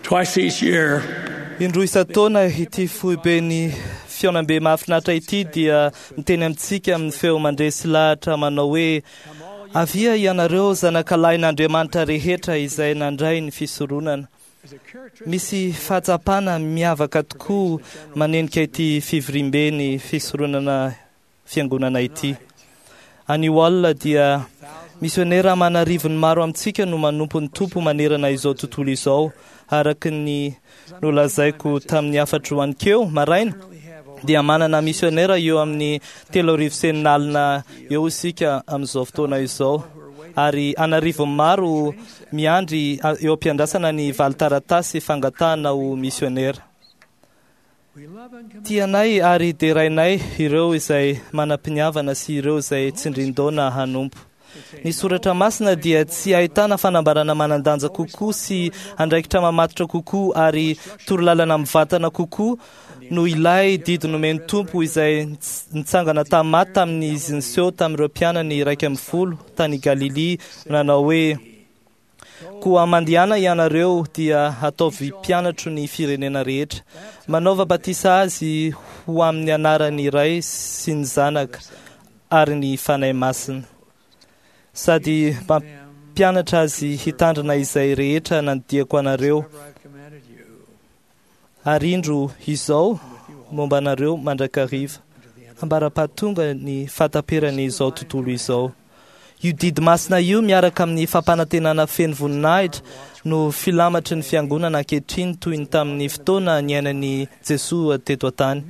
Twice each year, Indroa isan-taona ity foiben'ny fihaonambe mahafinaritra ity dia miteny amintsika amin'ny feo mandresy lahatra manao hoe avia ianareo zanakalahin'Andriamanitra rehetra izay nandray ny fisoronana. Misy fahatsapana miavaka tokoa manenika ity fivoriambe ny fisoronana fiangonana ity. Anio alina dia misionera aman'arivony maro amintsika no manompo ny Tompo manerana izao tontolo izao, araka ny nolazaiko tamin'ny hafatro aninkeo maraina dia manana misionera eo amin'ny 630 eo isika amin'izao fotoana izao, ary an'arivony maro miandry eo am-piandrasana ny valin-taratasy fangatahana ho misionera. Tianay ary derainay ireo izay manam-piniavana sy ireo izay tsindrin-daona hanompo. Ny soratra masina dia tsy ahitana fanambarana manan-danja kokoa sy andraikitra mamatotra kokoa ary torolalana mivantana kokoa no ilay didy nomen'ny Tompo izay nitsangana tamin'ny maty tamin'izy niseho tamin'ireo mpianany 11 tany Galilia nanao hoe: Koa mandehana ianareo dia ataovy mpianatro ny firenena rehetra, manaova batisa azy ho amin'ny anaran'ny Ray sy ny Zanaka ary ny Fanahy Masina, sady mampianatra azy hitandrina izay rehetra nandidiako anareo, ary indro izao momba anareo mandrakariva, ambara-pahatonga ny fahataperan'izao tontolo izao. Io didy masina io miaraka amin'ny fampanantenana feno voninahitra no filamatry ny fiangonana ankehitriny toy ny tamin'ny fotoana niainan'i Jesoa teto an-tany.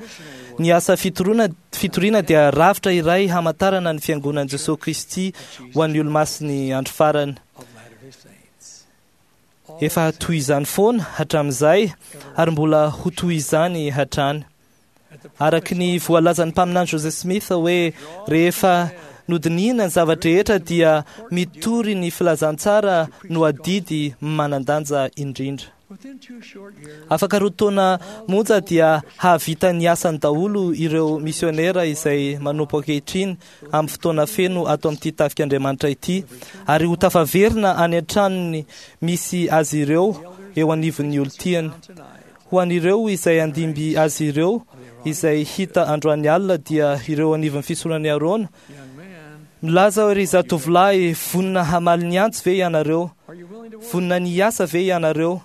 Ny asa fitoriana dia rafitra iray hamantarana ny fiangonan'i Jesoa Kristy ho an'ny olomasin'ny andro farany. Efa toy izany foana hatramin'izay ary mbola ho toy izany hatrany. Araka ny voalazan'ny mpaminany Joseph Smith hoe rehefa nodinihina ny zava-drehetra dia mitory ny filazantsara no adidy manan-danja indrindra. Afaka 2 taona monja dia hahavita ny asany daholo ireo misionera izay manompo ankehitriny amin'ny fotoana feno ato amin'ity tafik'Andriamanitra ity, ary ho tafaverina any an-tranony misy azy ireo eo anivon'ny olon-tiany. Ho an'ireo izay handimby azy ireo izay hita androany alina dia ireo anivon'ny fisoronan'i Arona. Milaza hoe ry zatovolahy, vonona hamaly ny antso ve ianareo? Vonona ny hiasa ve ianareo?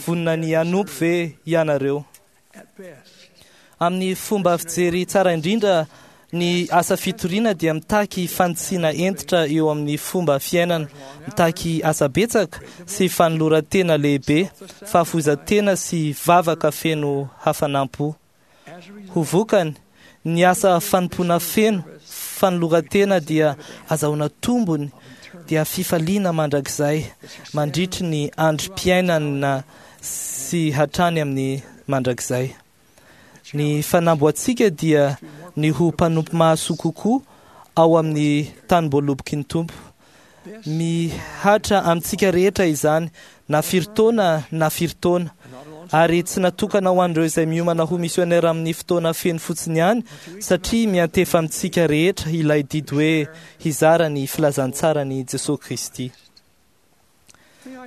Vonona ny hanompo ve ianareo? Amin'ny fomba fijery tsara indrindra, ny asa fitoriana dia mitaky fanitsiana hentitra eo amin'ny fomba fiainana, mitaky asa betsaka sy fanoloran-tena lehibe, fahafoizan-tena sy vavaka feno hafanam-po. Ho vokany, ny asa fanompoana feno fanoloran-tena dia azahoana tombony, dia fifaliana mandrakizay mandritry ny androm-piainana sy hatrany amin'ny mandrakizay. Ny fanamboantsika dia ny ho mpanompo mahasoa kokoa ao amin'ny tanim-boaloboky ny Tompo. Mihatra amintsika rehetra izany, na firy taona na firy taona, ary tsy natokana ho an'ireo izay miomana ho misionera amin'ny fotoana feno fotsiny ihany, satria miantefa amintsika rehetra ilay didy hoe hizara ny filazantsaran'i Jesoa Kristy.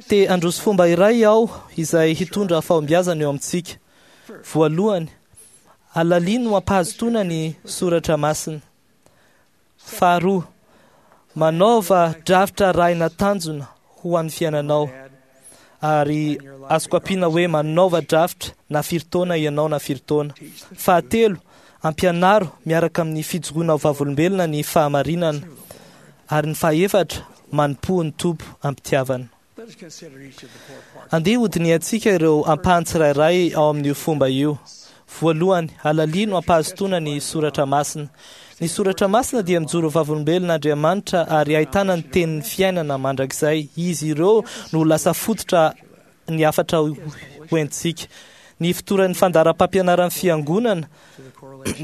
Te handroso fomba iray aho izay hitondra fahombiazana eo amintsika. Voalohany, alalino ampahazotoana ny soratra masina. Faharoa, manaova drafitra arahina tanjona ho an'ny fiainanao. Ary azoko ampiana hoe manaova drafitra na firy taona ianao na firy taona. Fahatelo, ampianaro miaraka amin'ny fijoroana ho vavolombelona ny fahamarinana. Ary ny fahaefatra, manompoa ny Tompo am-pitiavana. Andeha hodinihantsika ireo ampahany tsirairay ao amin'io fomba io. Voalohany, alalino ampahazotoana ny soratra masina. Ny soratra masina dia mijoro vavolombelona Andriamanitra ary ahitana ny tenin'ny fiainana mandrakizay. Izy ireo no lasa fototra ny hafatra hoentintsika. Ny fotoran'ny fandaharam-pampianaran'ny fiangonana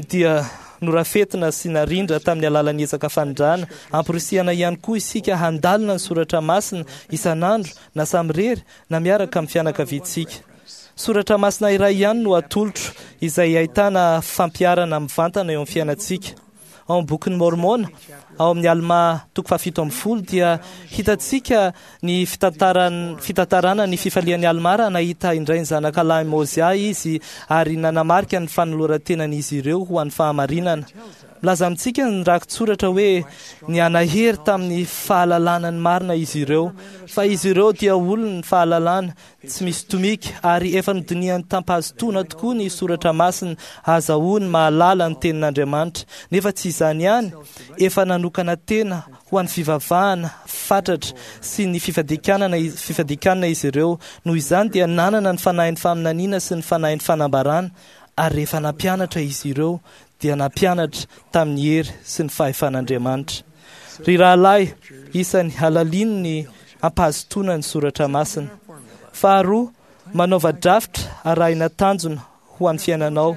dia norafetina sy narindra tamin'ny alalan'ny ezaka fanindrana. Amporisihana ihany koa isika handalina ny soratra masina isan'andro, na samirery na miaraka amin'ny fianakaviantsika. Soratra masina iray ihany no atolotro izay ahitana fampiharana mivantana eo amin'ny fiainantsika. Ao amin'ny bokin'ny Mormona, Ao amin'ny Alma toko faha-17 dia hitantsika ny fitantarana ny fifalian'i Alma raha nahita indray ny zanakalahy Mozia izy ary nanamarika ny fanoloran-tenan'izy ireo ho an'ny fahamarinana. Milaza amintsika ny rakitsoratra hoe nianahery tamin'ny fahalalana ny marina izy ireo, fa izy ireo dia olon'ny fahalalana tsy misy tomika ary efa nodinihan'ny tampahazotoana tokoa ny soratra masina azahoany mahalala ny tenin'Andriamanitra. Nefa tsy izany ihany, efa nanokana tena ho an'ny fivavahana fatratra sy ny fifadikanana izy ireo. Noho izany dia nanana ny fanahin'ny faminaniana sy ny fanahin'ny fanambarana, ary rehefa nampianatra izy ireo dia nampianatra tamin'ny hery sy ny fahefan'Andriamanitra. Ry rahalahy, isany halalino ny ampahazotoana ny soratra masina. Faharoa, manaova drafitra arahina tanjona ho an'ny fiainanao.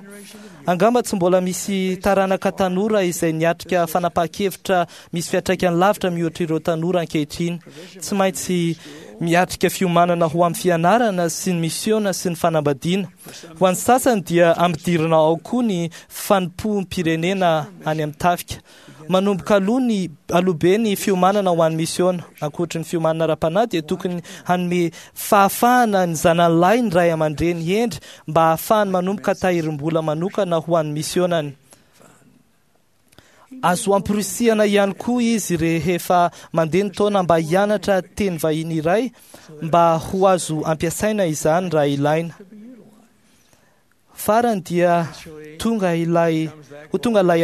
Angamba tsy mbola misy taranaka tanora izay niatrika fanapahan-kevitra misy fiantraikany lavitra mihoatra ireo tanora ankehitriny. Tsy maintsy miatrika fiomanana ho amin'ny fianarana sy ny misiona sy ny fanambadiana. Ho an'ny sasany dia ampidirina ao koa ny fanompoam-pirenena any amin'ny tafika. Manomboka aloha be ny fiomanana ho an'ny misiona. Ankoatry ny fiomanana ara-panahy dia tokony hanome fahafahana ny zanany lahy ny ray aman-dreny hendry mba hahafahany manomboka tahirim-bola manokana ho an'ny misionany. Azo amporisihana ihany koa izy rehefa mandeha ny taona mba hianatra teny vahiny iray mba ho azo ampiasaina izany raha ilaina. Farany dia tonga ilay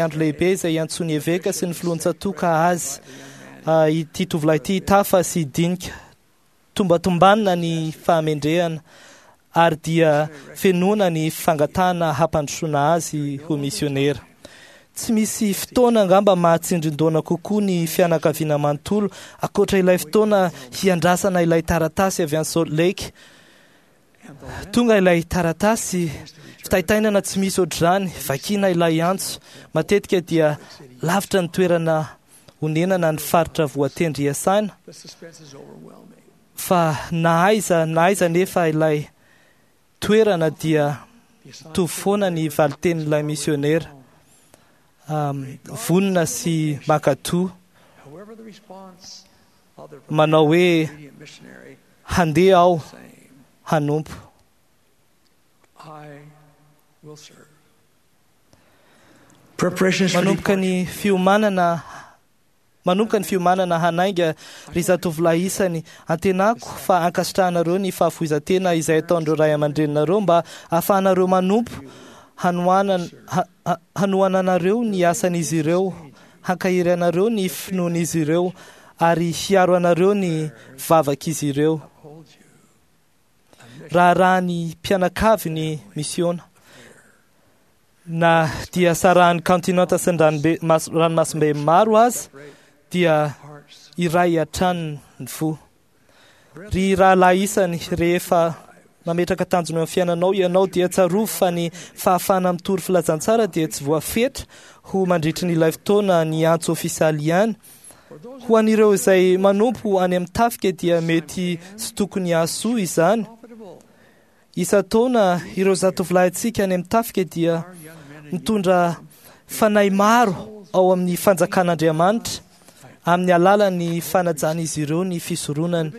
andro lehibe izay iantsoan'ny eveka sy ny filohan-tsatoka azy ity tovolahy ity tafa sy dinika. Tombatombanina ny fahamendrehana ary dia fenoana ny fangatahana hampandrosoana azy ho misionera. Tsy misy fotoana angamba mahatsindrin-doana kokoa ny fianakaviana manontolo ankoatra ilay fotoana hiandrasana ilay taratasy avy any Salt Lake. Tonga ilay taratasy, fitaitainana tsy misy ohatr'izany, vakiana ilay antso. Matetika dia lavitra ny toerana onenana ny faritra voatendry hiasana, fa na aiza na aiza nefa ilay toerana dia mitovy foana ny valitenin'ilay misionera. Vonona sy mankatò, manao hoe handeha aho hanompo. Manomboka ny fiomanana hanainga ry zatovolahy isany. Antenako fa ankasitrahanareo ny fahafoizan-tena izay ataon'ireo ray aman-dreninareo mba ahafahanareo manompo, hanohananareo ny asan'izy ireo, hankahery anareo ny finoan'izy ireo ary hiaro anareo ny vavak'izy ireo. Raharaha ny mpianakavy ny misiona. Na dia sarahan'ny kantinanta sy ny ranomasimbe maro aza dia iray hatrany ny fo. Ry rahalahy isany, rehefa mametraka tanjona eo amin'ny fiainanao ianao dia tsarovy fa ny fahafahana mitory filazantsara dia tsy voafetra ho mandritry ny ilay fotoana ny antso ofisialy ihany. Ho an'ireo izay manompo any amin'ny tafika dia mety sy tokony hahasoa izany. Isan-taona ireo zatovolahintsika any amin'ny tafika dia mitondra fanahy maro ao amin'ny fanjakan'Andriamanitra amin'ny alalan'ny fanajan'izy ireo ny fisoronany,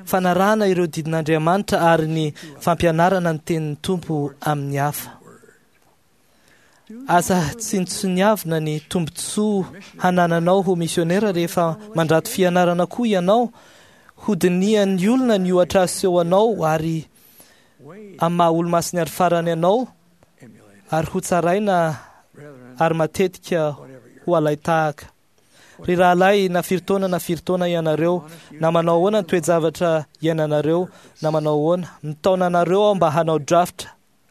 fanarahana ireo didin'Andriamanitra ary ny fampianarana ny tenin'ny Tompo amin'ny hafa. Aza tsinontsiniavina ny tombontsoa hanananao ho misionera rehefa mandrato fianarana koa ianao. Hodinihan'ny olona ny ohatra aseho anao ary amin'ny maha olo-masiny ary farany anao ary ho tsaraina ary matetika ho alain-tahaka. Ry rahalahy, na firy taona na firy taona ianareo, na manao ahoana ny toe-javatra iainanareo, na manao ahoana, mitaona anareo aho mba hanao drafitra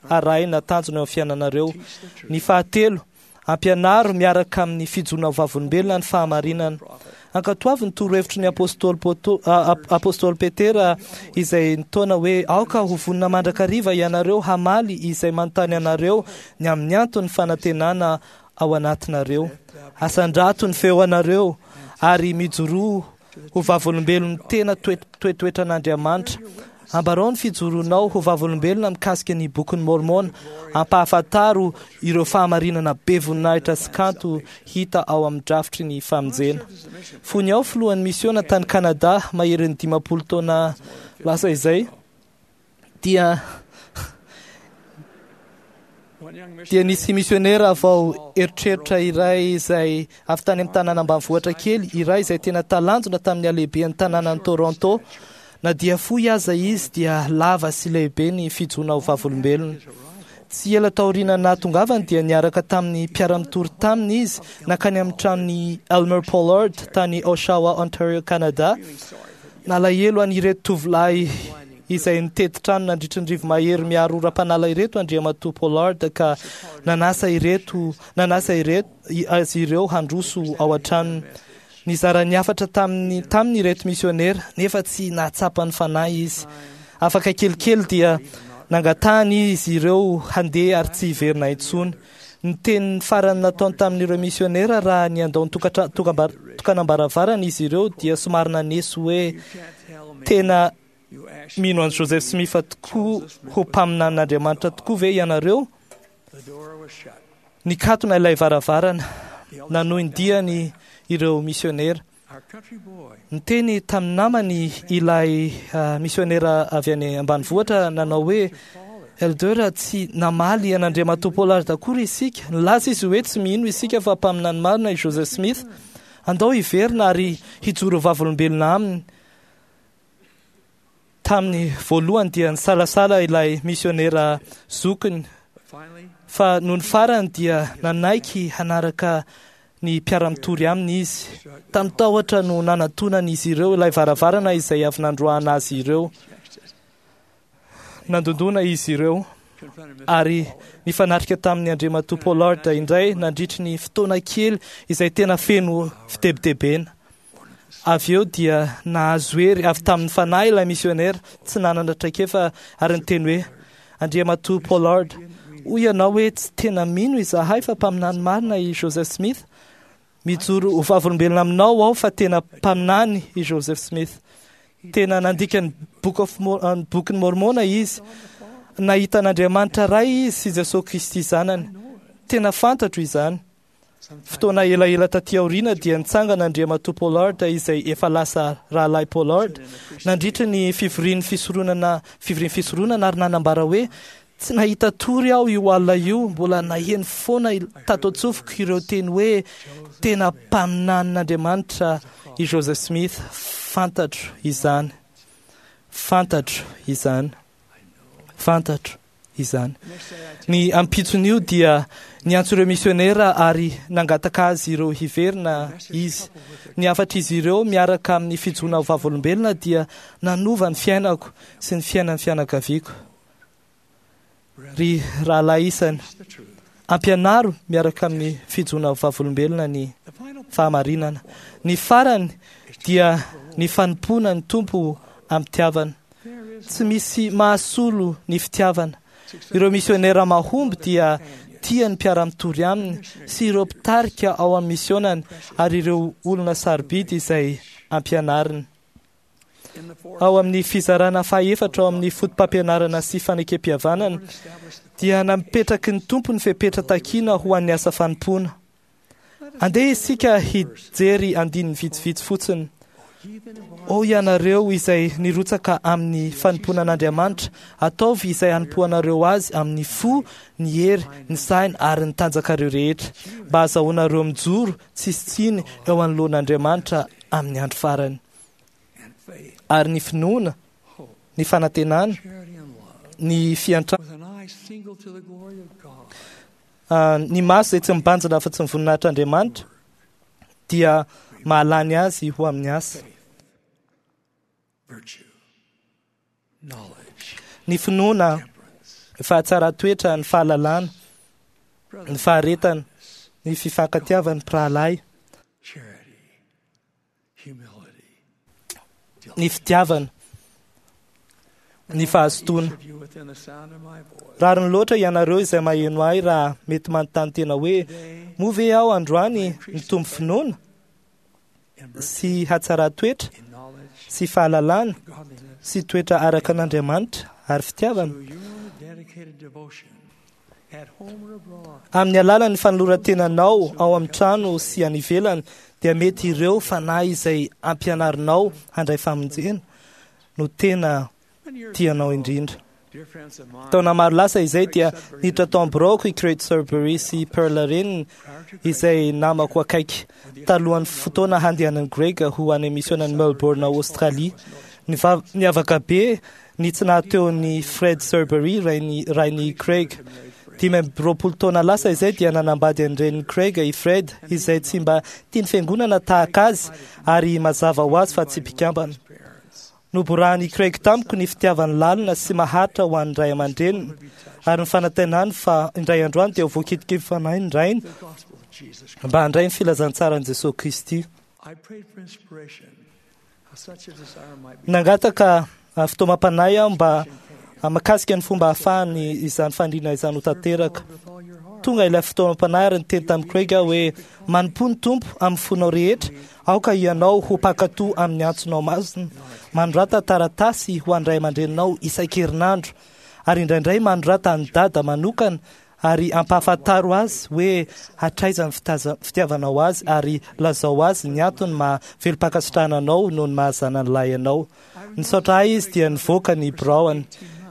arahina tanjona eo amin'ny fiainanareo. Ny fahatelo, ampianaro miaraka amin'ny fijoroana vavolombelona ny fahamarinana. Ankatoavy ny torohevitry ny apôstôly Petera izay nitaona hoe aoka ho vonona mandrakariva ianareo hamaly izay manontany anareo ny amin'ny anton'ny fanantenana ao anatinareo. Asandrato ny feo anareo ary mijoroa. ho vavolombelon'ny tena toetoetran'Andriamanitra. Ambarao ny fijoronao ho vavolombelona mikasika ny bokin'ny Mormona. Ampahafantaro ireo fahamarinana be voninahitra sy kanto hita ao amin'ny drafitry ny famonjena. Fony aho filohan'ny misiona tany Kanada maherin'ny 50 taona lasa izay, dia nisy misionera vao eritreritra iray izay avy tany amin'ny tanàna ambanivohitra kely iray izay tena talanjona tamin'ny halehiben'ny tanànan'i Toronto. Na dia fohy aza izy dia lava sy lehibe ny fijoroana ho vavolombelona. Tsy ela taoriana nahatongavany dia niaraka tamin'ny mpiara-mitory taminy izy nankany amin'ny tranon'i Elmer Pollard tany Oshawa, Ontario, Canada. Nalahelo an'ireto tovolahy izay nitety trano nandritry ny rivo-mahery miaro oram-panala ireto Andriamatoa Pollard ka nanasa ireto nanasa ireto azy ireo handroso ao an-tranony. Nizara ny hafatra taminy taminy ireto misionera nefa tsy nahatsapa ny fanahy izy. Afaka kelikely dia nangatahany izy ireo handeha ary tsy hiverina intsony. Ny teny farany nataony tamin'ireo misionera raha niandao ny tokanam-baravarana izy ireo dia somary naneso hoe tena mino an'i Joseph Smith tokoa ho mpaminanin'Andriamanitra tokoa ve ianareo? Nikatona ilay varavarana, nanohy ny diany ireo misionera. Niteny tamin'ny namany ilay misionera avy any ambanivohitra nanao hoe Elder, tsy namaly an'Andriamatoa Pollard akory isika. Nilaza izy hoe tsy mino isika fa mpaminany marina i Joseph Smith. Andao hiverina ary hijoro vavolombelona aminy. Tamin'ny voalohany dia nisalasala ilay misionera zokiny, fa noho ny farany dia nanaiky hanaraka ny mpiara-mitory aminy izy. Tamin'ny tahotra no nanatonan'izy ireo ilay varavarana izay avy nandroahana azy ireo. Nandondona izy ireo ary nifanatrika tamin'ny Andriamatoa Pollard indray nandritry ny fotoana kely izay tena feno fitebitebena. Avy eo dia nahazo hery avy tamin'ny fanahy ilay misionera tsy nanana traikefa ary niteny hoe Andriamatoa Pollard, hoy ianao hoe tsy tena mino izahay fa mpaminany marina i Joseph Smith. Mijoro ho vavolombelona aminao aho fa tena mpaminany i Joseph Smith. Tena nandika ny bokin'ny Mormona izy. Nahita an'Andriamanitra Ray izy sy Jesosy Kristy zanany. Tena fantatro izany. Fotoana elaela taty aoriana dia nitsangana Andriamatoa Pollard izay efa lasa rahalahy Pollard nandritra ny fivorian'ny fisoronana fivorian'ny fisoronana ary nanambara hoe tsy nahita tory aho io alina io, mbola naheno foana tato an-tsofiko ireo teny hoe tena mpaminanin'Andriamanitra i Joseph Smith. Fantatro izany, fantatro izany, fantatro izany. Ny ampitson'io dia niantso ireo misionera ary nangataka azy ireo hiverina izy. Ny hafatr'izy ireo miaraka amin'ny fijoroana ho vavolombelona dia nanova ny fiainako sy ny fiainan'ny fianakaviako. Ry rahalahy isany, ampianaro miaraka amin'ny fijoroana ho vavolombelona ny fahamarinana. Ny farany dia ny fanompoana ny Tompo am-pitiavana. Tsy misy mahasolo ny fitiavana. Ireo misionera mahomby dia tia ny mpiara-mitory aminy sy ireo mpitarika ao amin'ny misionany ary ireo olona sarobidy izay ampianariny. Ao amin'ny fizarana fahaefatra ao amin'ny foto-pampianarana sy fanekem-pihavanana dia napetraky ny Tompo ny fepetra takiana ho an'ny asa fanompoana. Andeha isika hijery andininy vitsivitsy fotsiny. O ianareo izay nirotsaka amin'ny fanompoana an'Andriamanitra, ataovy izay hanompoanareo azy amin'ny fo, ny hery, ny saina ary ny tanjakareo rehetra, mba hahazahoanareo mijoro tsisy tsiny eo anoloan'Andriamanitra amin'ny andro farany. Ary ny finoana, ny fanantenana, ny fiantrana, ny maso izay tsy mibanjina afa-tsy ny voninahitr'Andriamanitra dia mahalany azy ho amin'ny asa. Ny finoana, ny fahatsaran-toetra, ny fahalalana, ny faharetana, ny fifankatiavan'ny mpirahalahy, ny fitiavana, ny fahazotoana. Rariny loatra ianareo izay maheno ahy raha mety manontany tena hoe moa ve aho androany mitombo finoana? sy hatsaran-toetra sy fahalalana sy toetra araka an'Andriamanitra ary fitiavana. Amin'ny alalan'ny fanoloran-tenanao ao amin'ny trano sy any ivelany dia mety ireo fanahy izay ampianarinao handray famonjena no tena tianao indrindra. Taona maro lasa izay dia niditra tao amin'ny biraoko i Craig Sudbury sy Pearl reniny izay namako akaiky talohan'ny fotoana handehanan'i Greg ho any misionan'i Melbourne Australie. Niavaka be ny tsy nahateo ny Fred Sudbury rain'i Craig. 25 taona lasa izay dia nanambady an-drenin'i Craig i Fred izay tsy mba tia ny fiangonana tahaka azy ary mazava ho azy fa tsy mpikambana. Noborahan'i Craig tamiko ny fitiavany lalina sy maharitra ho an'ny ray aman-dreniny ary ny fanantenany fa indray androany dia ho voakitiky fanahy ny rainy mba handray ny filazantsaran'i Jesosy Kristy. Nangataka fitaomam-panahy aho mba mahakasika ny fomba ahafahany izany faniriana izany ho tanteraka. Tonga ilay fitaomam-panahy ary niteny tamin'i Craig aho hoe manompoa ny Tompo amin'ny fonao rehetra, aoka ianao ho mpankatò amin'ny antsonao masina. Manorata taratasy ho an'ny ray aman-dreninao isan-kerinandro ary indraindray manorata an'i Dada manokana ary ampahafantaro azy hoe hatraiza ny fitiavanao azy ary lazao azy ny antony maha velom-pankasitrahana anao noho ny maha zanany lahy anao. Nisaotra ahy izy dia nivoaka ny biraony.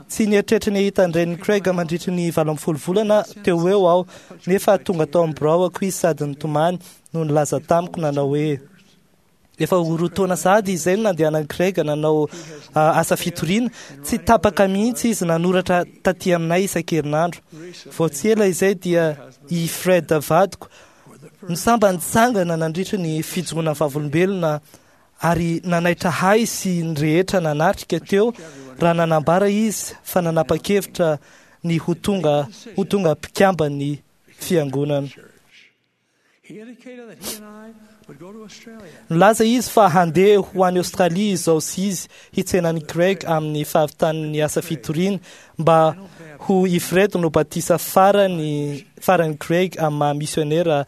Tsy nieritreritra ny hahita an-drenin'i Craig mandritry ny 18 volana teo ho eo aho, nefa tonga tao amin'ny biraoko izy sady nitomany no nilaza tamiko nanao hoe efa ho 2 taona sahady izay no nandehanan'i Craig nanao asa fitoriana. Tsy tapaka mihitsy izy nanoratra taty aminay isan-kerinandro. Vao tsy ela izay dia i Fred vadiko no sambany nitsangana nandritry ny fijoroana vavolombelona ary nanaitra ahy sy ny rehetra nanatrika teo raha nanambara izy fa nanapa-kevitra ny ho tonga mpikamban'ny fiangonana. Nilaza izy fa handeha ho any Australie izao sy izy hitsenan'i Craig amin'ny fahavitan'ny asa fitoriana mba ho i Fred no batisa farany Craig amin'ny maha misionera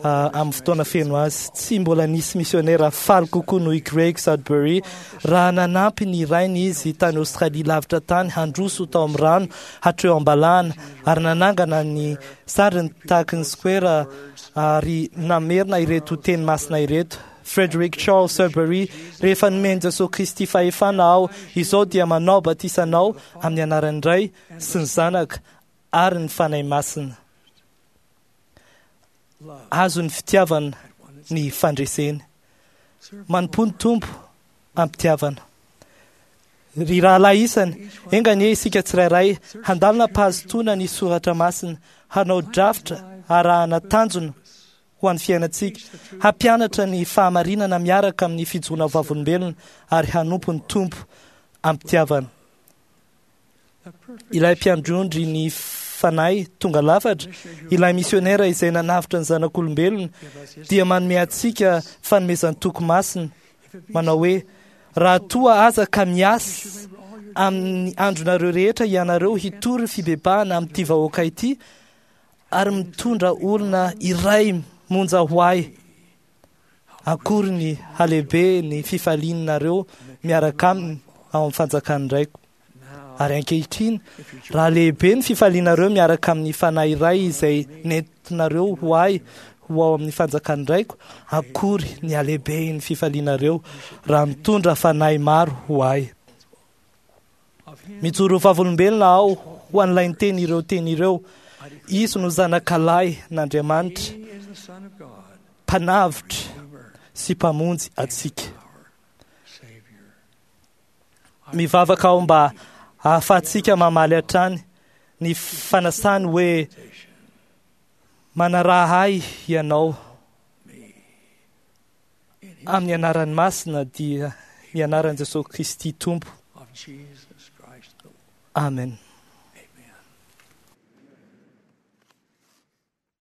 amin'ny fotoana feno azy. Tsy mbola nisy misionera faly kokoa noho i Craig Sudbury raha nanampy ny rainy izy tany Australie lavitra tany handroso tao amin'ny rano hatreo am-balahana ary nanangana ny sariny tahaky ny square ary namerina ireto teny masina ireto. Frederick Charles Sudbury, rehefa nomen'i Jesosy Kristy fahefana aho, izao dia manao batisa anao amin'ny anaran'ny Ray sy ny Zanaka ary ny Fanahy Masina. Azo ny fitiavana ny fandreseny. Manompo ny Tompo am-pitiavana. Ry rahalahy isany, enga anie isika tsirairay handalina am-pahazotoana ny soratra masina, hanao drafitra arahana tanjona ho an'ny fiainantsika, hampianatra ny fahamarinana miaraka amin'ny fijoroana vavolombelona ary hanompo ny Tompo am-pitiavana. Ilay mpiandrondry ny fanahy tonga lafatra, ilay misionera izay nanavotra ny zanak'olombelona, dia manome antsika fanomezan-toky masina manao hoe raha toa aza ka miasa amin'ny andronareo rehetra ianareo hitory fibebahana amin'ity vahoaka ity ary mitondra olona iray monja ho ahy, akory ny halehibe ny fifalianareo miaraka aminy ao amin'ny fanjakan'ny Raiko. Ary ankehitriny, raha lehibe ny fifalianareo miaraka amin'ny fanahy iray izay nentinareo ho ahy ho ao amin'ny fanjakan'ny Raiko, akory ny halehibe ny fifalianareo raha mitondra fanahy maro ho ahy. Mijoro vavolombelona aho ho an'ilay niteny ireo teny ireo. Izy no zanakalahy n'Andriamanitra, mpanavotra sy mpamonjy antsika. Mivavaka aho mba ahafahantsika mamaly hatrany ny fanasany hoe manaraha ahy ianao amin'ny anarany masina dia ny anaran'i Jesosy Kristy Tompo. Amen.